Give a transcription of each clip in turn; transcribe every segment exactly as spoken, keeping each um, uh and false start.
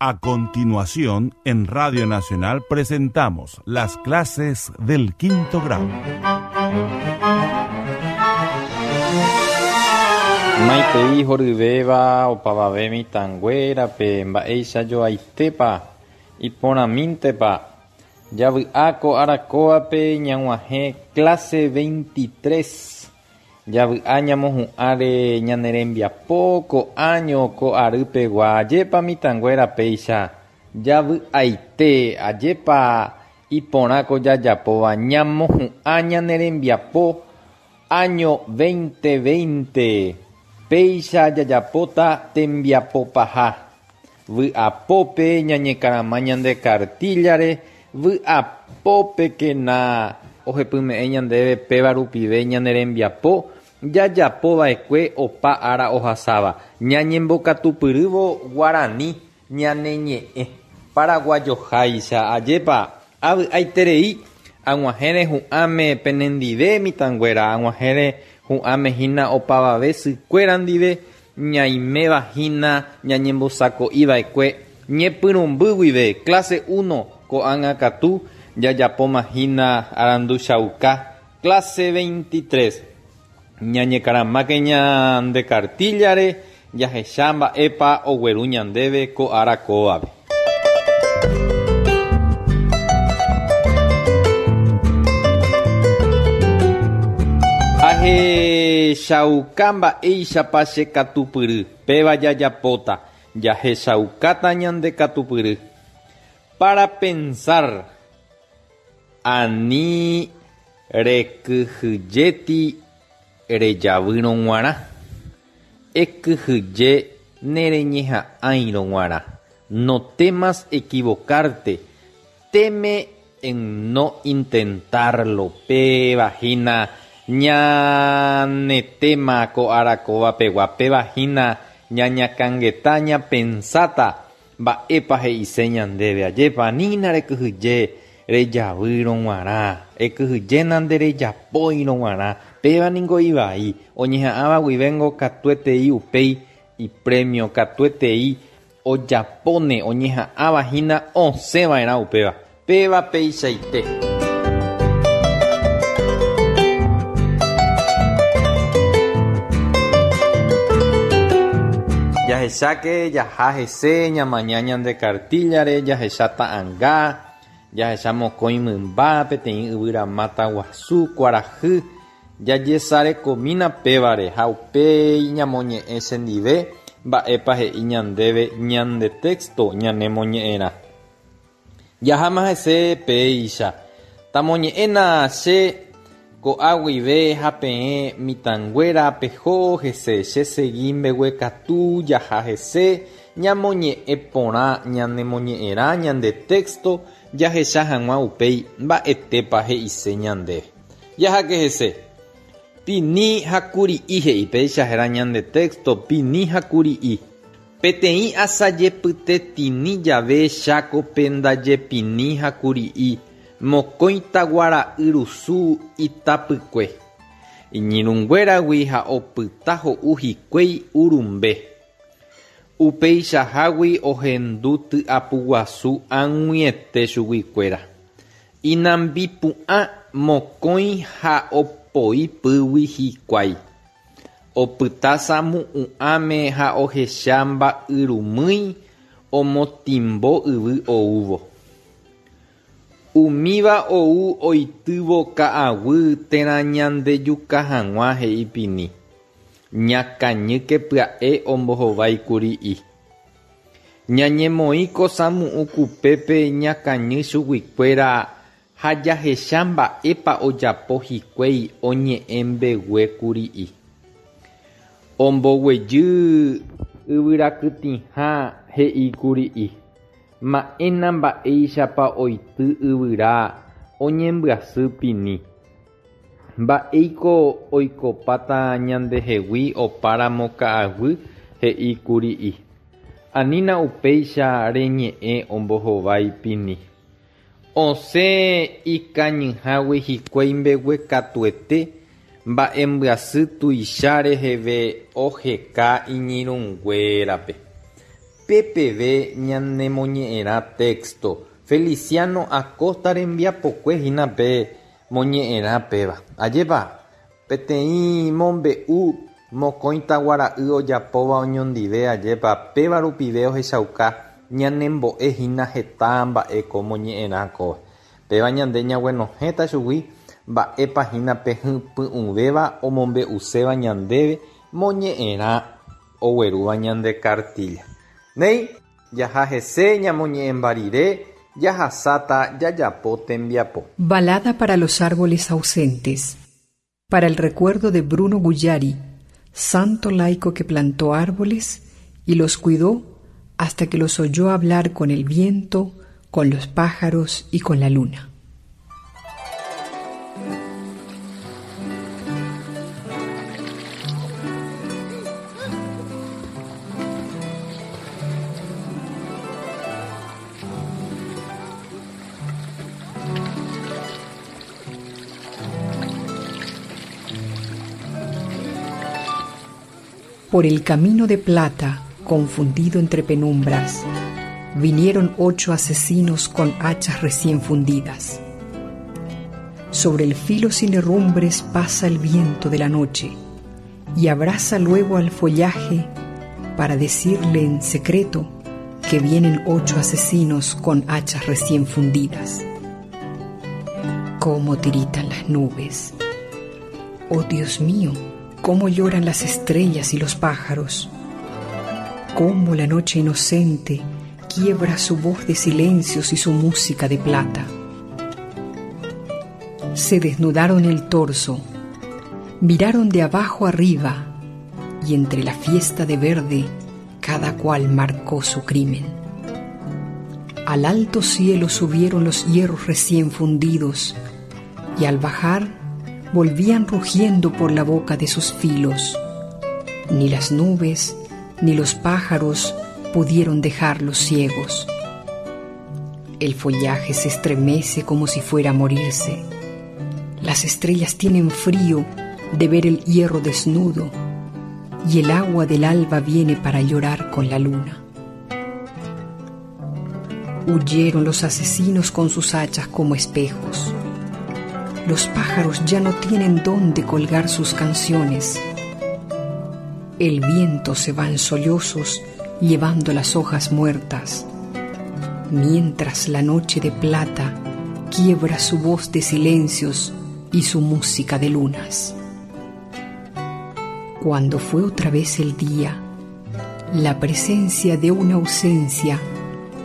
A continuación, en Radio Nacional presentamos las clases del quinto grado. Maitei horyvéva opavave mitãnguérape mba'eichajoaitépa iporãmíntepa javy'a ko arakóvape ñag̃uahẽ clase veintitrés javy'a ñamohu'ãre ñane rembiapo ko año ko arýpegua ajépa mitãnguéra péicha javy'aite ajépa iporã ko jajapóva ñamohu'ã ñane rembiapo año veinte veinte péicha jajapóta tembiapopaha vy'apópe ñañekarama ñande cartillare vy'apópekena ohepyme'ẽ ñandéve péva rupive ñane rembiapo jajapova'ekue opa ára ohasáva ñañembokatupyrývo guarani ñane ñe'ẽ paraguayoháicha ajépa avy'aiterei ag̃uahẽre hu'ãme penendive mitãnguéra ag̃uahẽre hu'ãme hína opavave sykuéra ndive ñaiméva hína ñañembosako'iva'ekue ñepyrũmby guive clase uno ko'ág̃a katu jajapóma hína aranduchauka clase veintitrés ñañekaramáke ñande cartillare jahecha mba'épa ogueru ñandéve ko ára kóvape. Ahechauka mba'éichapa che katupyry péva jajapóta jahechaukáta ñande katupyry. Para pensar ani rekyhyjéti rejavýrõ g̃uarã ekyhyje nereñeha'ãirõ g̃uarã. No temas equivocarte, teme en no intentarlo. Péva hína ñane tema ko ára kóvapegua péva hína ñañakãngeta ñapensáta mba'épa he'ise ñandéve ajépa anína rekyhyje rejavýrõ g̃uarã ekyhyjéna nderejapóirõ g̃uarã péva niko ivai oñeha'ãva guivéngo katuetei upéi ipremio katuetei ojapóne oñeha'ãva hína osẽva'erã upéva péva peichaite. Jahecháke jaha hese ñamaña ñande cartillare jahecha ta'ãnga jahecha mokõi mymba peteĩ yvyramáta guasu kuarahy jajesarekomína pévare ha upéi ñamoñe'ẽ chendive mba'épa he'i ñandéve ñande texto ñanemoñe'ẽrã. Jaháma hese péicha tamoñe'ẽna che ko'a guive ha peẽ mitãnguéra peho hese che segui mbeguekatu jaha hese ñamoñe'ẽ porã ñanemoñe'ẽrã ñande texto jahecha hag̃ua upéi mba'etépa he'ise ñandéve. Jaháke hese Pini ha kuri'i he'i péicha héra ñande texto Pini ha kuri'i. Peteĩ asajepytetĩni jave Chákope ndaje Pini ha kuri'i mokõi taguara'yrusu itapykue. Iñirũnguéragui ha opyta ho'u hikuái urumbe. Upeichahágui ohendu ty'apuguasu ag̃uiete chuguikuéra. Inambipu'ã mokõi ha opoi pýgui hikuái. Opyta samu'ũ'ãme ha ohecha mba'yrumýi omotimbo yvy oúvo. Umíva ou oitývo ka'aguy térã ñandejuka hag̃ua he'i Pini. Ñakañýke pya'e ombohovái kuri'i. Ñañemoĩ ko samu'ũ kupépe ñakañy chuguikuéra ha jahecha mba'épa ojapo hikuái oñe'ẽ mbegue kuri'i. Omboguejy yvyrakytĩha he'i kuri'i. Ma'ẽna mba'éichapa oity yvyra oñembyasy Pini. Mba'éiko oikopáta ñandehegui opáramo ka'aguy he'i kuri'i. Anína upéicha reñe'ẽ ombohovái Pini. Osẽ ikañyhágui hikuái mbeguekatuete mba'embyasy tuicha reheve oheka iñirũnguérape. Upe peve ñane moñe'ẽrã texto. Feliciano Acosta rembiapokue hína pe moñe'ẽrã péva. Ajépa peteĩ mombe'u mokõi taguara'y ojapóva oñondive, ajépa péva rupive ohechauka ñanembo'ehína heta mba'e ko moñe'ẽrã kóva. Péva ñande ñaguenohẽta chugui mba'épa hína pe hypy'ũvéva omombe'uséva ñandéve moñe'ẽrã oguerúva ñande cartilla. Néi, jaha hese ñamoñe'ẽmba rire jahasáta jajapo tembiapo. Balada para los árboles ausentes. Para el recuerdo de Bruno Guggiari, santo laico que plantó árboles y los cuidó hasta que los oyó hablar con el viento, con los pájaros y con la luna. Por el camino de plata, confundido entre penumbras, vinieron ocho asesinos con hachas recién fundidas. Sobre el filo sin herrumbres pasa el viento de la noche y abraza luego al follaje para decirle en secreto que vienen ocho asesinos con hachas recién fundidas. Cómo tiritan las nubes. Oh Dios mío, cómo lloran las estrellas y los pájaros. Cómo la noche inocente quiebra su voz de silencios y su música de plata. Se desnudaron el torso, miraron de abajo arriba y entre la fiesta de verde cada cual marcó su crimen. Al alto cielo subieron los hierros recién fundidos y al bajar volvían rugiendo por la boca de sus filos. Ni las nubes ni los pájaros pudieron dejarlos ciegos. El follaje se estremece como si fuera a morirse. Las estrellas tienen frío de ver el hierro desnudo y el agua del alba viene para llorar con la luna. Huyeron los asesinos con sus hachas como espejos. Los pájaros ya no tienen dónde colgar sus canciones. El viento se va en sollozos llevando las hojas muertas, mientras la noche de plata quiebra su voz de silencios y su música de lunas. Cuando fue otra vez el día, la presencia de una ausencia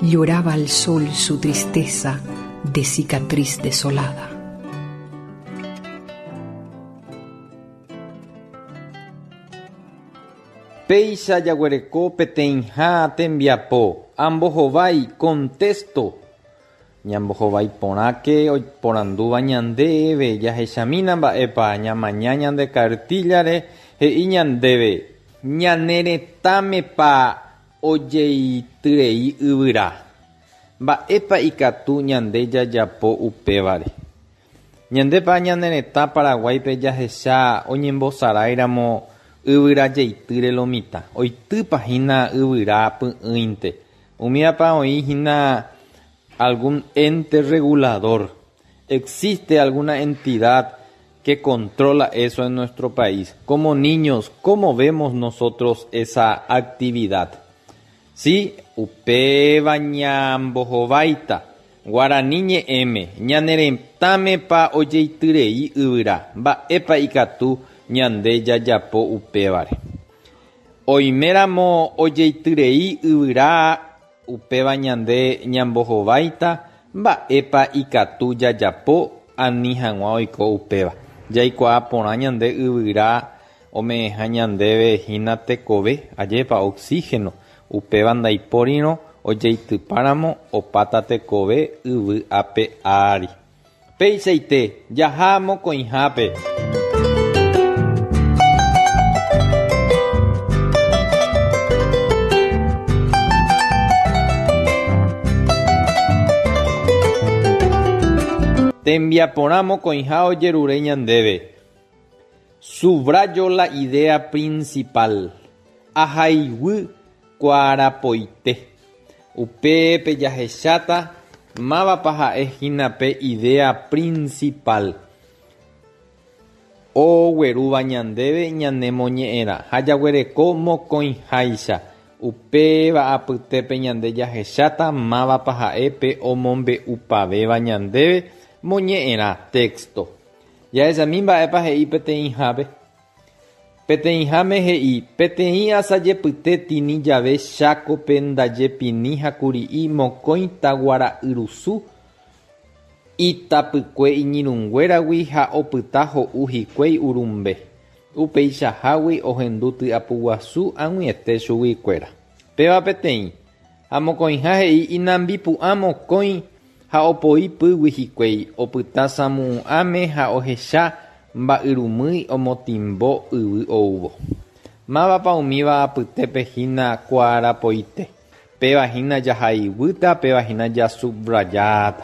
lloraba al sol su tristeza de cicatriz desolada. Péicha jaguereko peteĩha tembiapo ambohovái contexto. Ñambohovái porãke oiporandúva ñandéve jahechamína mba'épa ñamaña ñande cartilla-re he'i ñandéve ñane retãmepa ojeityrei yvyra. Mba'épa ikatu ñande jajapo upévare. Ñandépa ñane retã Paraguáipe jahecha oñembosaráiramo yvyra jeitýre lo mitã. Oitýpa hína yvyra py'ỹinte. Umíapa oĩ hína algún ente regulador. ¿Existe alguna entidad que controla eso en nuestro país? Como niños, ¿cómo vemos nosotros esa actividad? Sí, upéva ñambohováita, guarani ñe'ẽme, ñane retãmepa ojeityrei yvyra, mba'épa ikatu ñande jajapo upévare. Oiméramo ojeityrei yvyra upéva ñande ñambohováita, mba'épa ikatu jajapo ani hag̃ua oiko upéva. Jaikuaa porã ñande yvyra ome'ẽha ñandéve hína tekove, ajépa oxígeno, upéva ndaipórirõ ojeitypáramo opáta tekove yvy ape ári. Péichaite jaha mokõihápe. Tembiaporã mokõiha ojerure ñandéve. Subrayo la idea principal. Ahaiguy Kuarapoite. Upépe jahecháta mávapa ha'ehína pe idea principal oguerúva ñandéve ñanemoñe'ẽrã ha jaguereko mokõiháicha. Upéva apytépe ñande jahecháta mávapa ha'e pe omombe'upavéva ñandéve moñe'ẽrã texto. Jahechami mba'épa he'i peteĩhápe. Peteĩháme he'i peteĩ asajepyte tini jave Chákope ndajepini ha kuri'i mokõi taguara'yrusu itapykue iñirũnguéragui ha opyta ho'u hikuái urumbe. Upeichahágui ohendu tyapuguasu ag̃uiete chuguikuéra. Péva peteĩ ha mokõiha he'i inambipu'ã mokõi ha opoi pýgui hikuái opyta samu'ũ'ãme ha ohecha mba'yrumýi omotimbo yvy oúvo. Mávapa umíva apytépe hína kuarapoite. Péva hína jahaiguýta, péva hína jasubrajáta.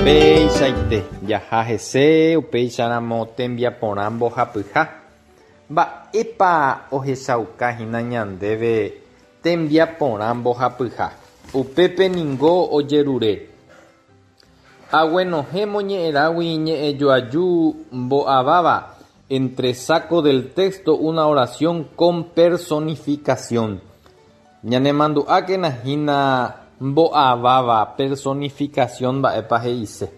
Upeichaite jaha hese upeicharamo tembiaporã mbohapyha. Mba'épa ohechaukahína ñandéve tembiaporã mbohapyha. Upépe ningo ojerure. Aguenohẽ moñe'ẽrãgui ñe'ẽjoaju mbo'aváva entre saco del texto una oración con personificación. Ñanemandu'ákena hína mbo'aváva personificación mba'épa he'ise.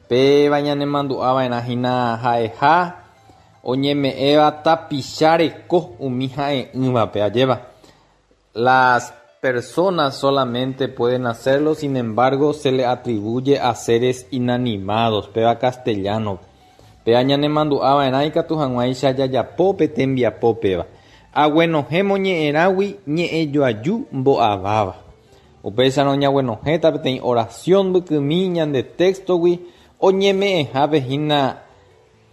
Péva ñanemandu'ava'erã hína ha'eha oñeme'ẽva tapichareko umi ha'e'ỹvape ajéva. Las personas solamente pueden hacerlo, sin embargo, se le atribuye a seres inanimados. Péva castellano. Péva ñanemandu'ava'erã ikatu hag̃uáicha jajapópe tembiapópeva. Aguenohẽ moñe'ẽrãgui ñe'ẽjoaju mbo'aváva. Upéicharõ ñaguenohẽta peteĩ oración mbykymi ñande textogui oñeme'ẽhápe hína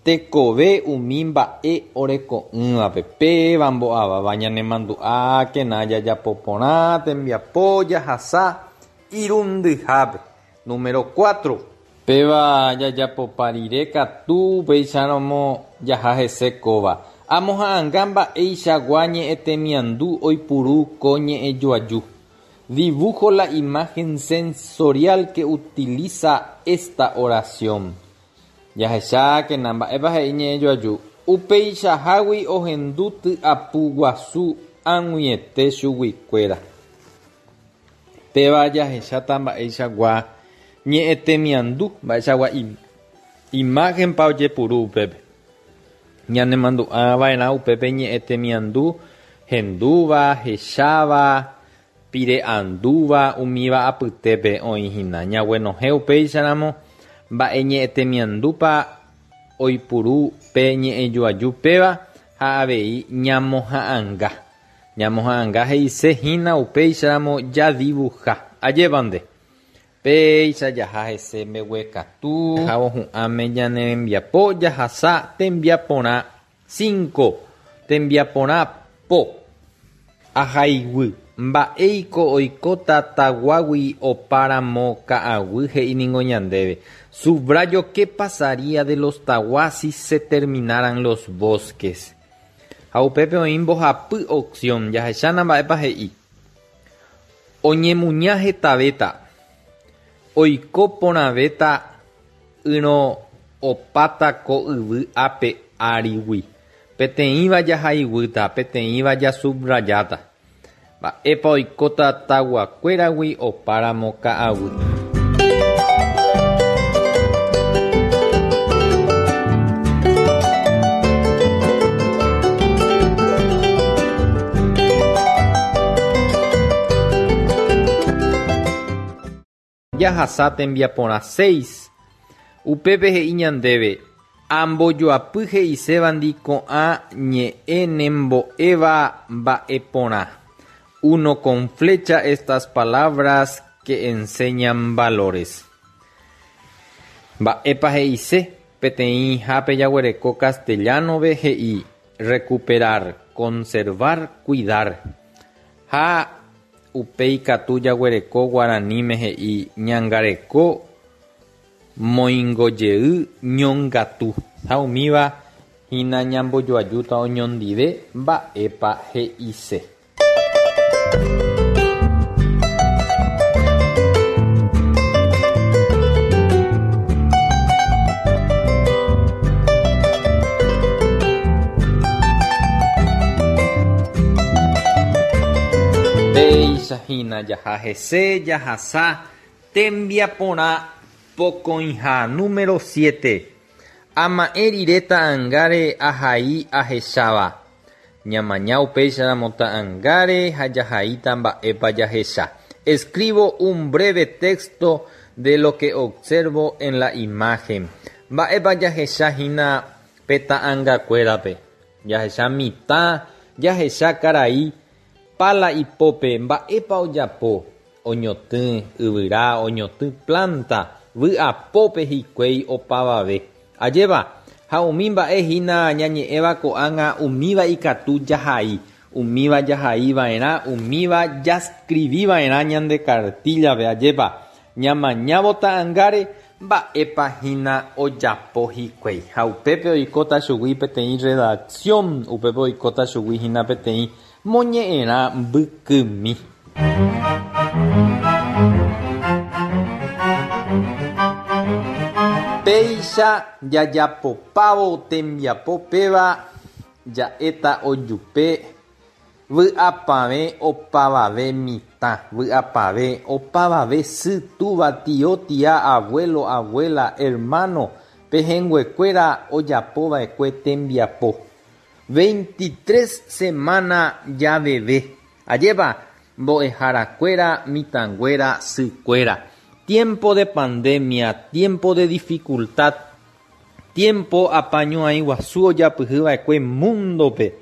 tekove umi mba'e oreko'ỹvape. Péva mbo'aváva ñanemandu'ákena jajapoporã tembiapo jahasa irundyhápe. Número cuatro. Péva jajapopa rire katu upéicharamo jaha hese kóva. Amoha'ãnga mba'eichagua ñe'ẽtemiandu oipuru ko ñe'ẽjoaju. Dibujo la imagen sensorial que utiliza esta oración. Jahechákena mba'épa he'i ñe'ẽjoaju. Upeichahágui ohendu tyapuguasu ag̃uiete chuguikuéra. Péva jahecháta mba'eichagua ñe'ẽtemiandu mba'eichagua imágenpa ojepuru upépe. Ñanemandu'ava'erã upépe ñe'ẽtemiandu hendúva, hecháva, pire'andúva umíva apytépe oĩhína. Ñaguenohẽ upéicharamo mba'e ñe'ẽtemiandúpa oipuru pe ñe'ẽjoaju péva ha avei ñamoha'ãnga. Ñamoha'ãnga he'isehína upéicharamo jadibuja. Ajépa nde. Péicha jaha hese mbeguekatu jahohu'ãme ñane rembiapo jahasa tembiaporã cinco. Tembiaporã po. Ahaiguy. Mba'éiko oikóta taguágui opáramo ka'aguy he'i ningo ñandéve. Subrayo qué pasaría de los taguas si se terminaran los bosques. Ha upépe oĩ mbohapy opción jahechána mba'épa he'i. Oñemuña hetavéta. Oiko porãvéta ỹrõ opáta ko yvy ape árigui. Peteĩva jahaiguýta, peteĩva jasubrajáta. Mba'épa oikóta taguakuéragui opáramo ka'aguy. Jahasa tembiaporã seis. Upépe he'i ñandéve ambojoapy he'isévandi ko'ã ñe'ẽ nembo'éva mba'eporã. Uno con flecha estas palabras que enseñan valores. Mba'épa he'ise peteĩhápe jaguereko castellano-pe he'i recuperar, conservar, cuidar. Ha Upéi katu jaguereko guaraníme he'i ñangareko moingojey ñongatu ha umíva hína ñambojoajúta oñondive mba'épa he'ise. Péicha hína jaha hese jahasa tembiaporã pokõiha número siete. Ama'ẽ rire ta'ãngáre ahai ahecháva. Ñamaña upéicharamo ta'ãngáre ha jahaíta mba'épa jahecha. Escribo un breve texto de lo que observo en la imagen. Mba'épa jahecha hína pe ta'ãngakuérape. Jahecha mitã, jahecha karai, pala ipópe mba'épa ojapo, oñotỹ yvyra, oñotỹ planta, vy'apópe hikuái opavave. Ajépa ha umi mba'e hína ñañe'ẽva ko'ág̃a umíva ikatu jahai, umíva jahaiva'erã, umíva jascribiva'erã ñande cartillape. Ajépa ñamañávo ta'ãngáre mba'épa hína ojapo hikuái. Ha upépe oikóta chugui peteĩ redacción, upépe oikóta chugui hína peteĩ moñe'ẽrã mbykymi. Péicha jajapopávo tembiapo péva ja'éta ojupe vy'apavẽ opavave mitã, vy'apavẽ opavave sy, túva, tio, tia, abuelo, abuela, hermano, pehẽnguekuéra ojapova'ekue tembiapo. veintitrés semana javeve. Ajépa mbo'eharakuéra, mitãnguéra, sykuéra. Tiempo de pandemia, tiempo de dificultad, tiempo apañuãi guasu ojapyhyva'ekue mundope.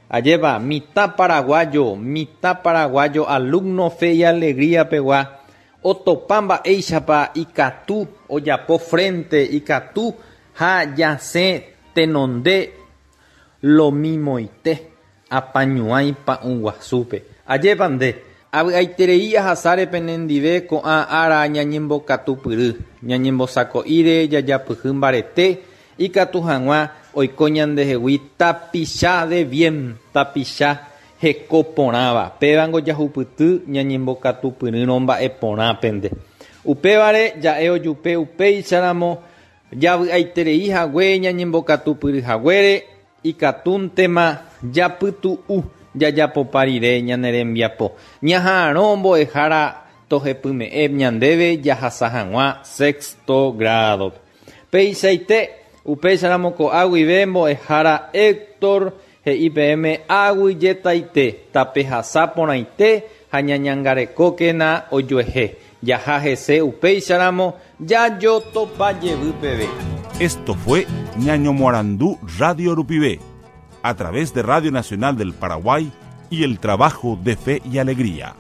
Ajépa mitã paraguayo, mitã paraguayo, alumno Fe y Alegría pegua, otopa mba'éichapa ikatu ojapo frente, ikatu ha jasẽ tenonde lomimoite apañuãi pa'ũ guasúpe. Ajépa nde avy'aiterei ahasáre penendive ko'ã ára ñañembokatupyry, ñañembosako'íre jajapyhy mbarete ikatu hag̃ua oiko ñandehegui tapicha de bien, tapicha heko porãva. Pévango jahupyty ñañembokatupyrýrõ mba'e porãpente. Upévare ja'e ojupe upéicharamo javy'aiterei hague ñañembokatupyry haguére ikatúntema japytu'u jajapopa rire ñane rembiapo. Ñaha'arõ mbo'ehára tohepyme'ẽ ñandéve jahasa hag̃ua sexto grado. Peichaite upéicharamo ko'ã guive mbo'ehára Héctor he'i peẽme aguyjetaite tapehasa porãite ha ñañangarekókena ojuehe. Jaha hese upéicharamo jajotopa jevy peve. Esto fue Ñaño Morandú Radio Rupive, a través de Radio Nacional del Paraguay y el trabajo de Fe y Alegría.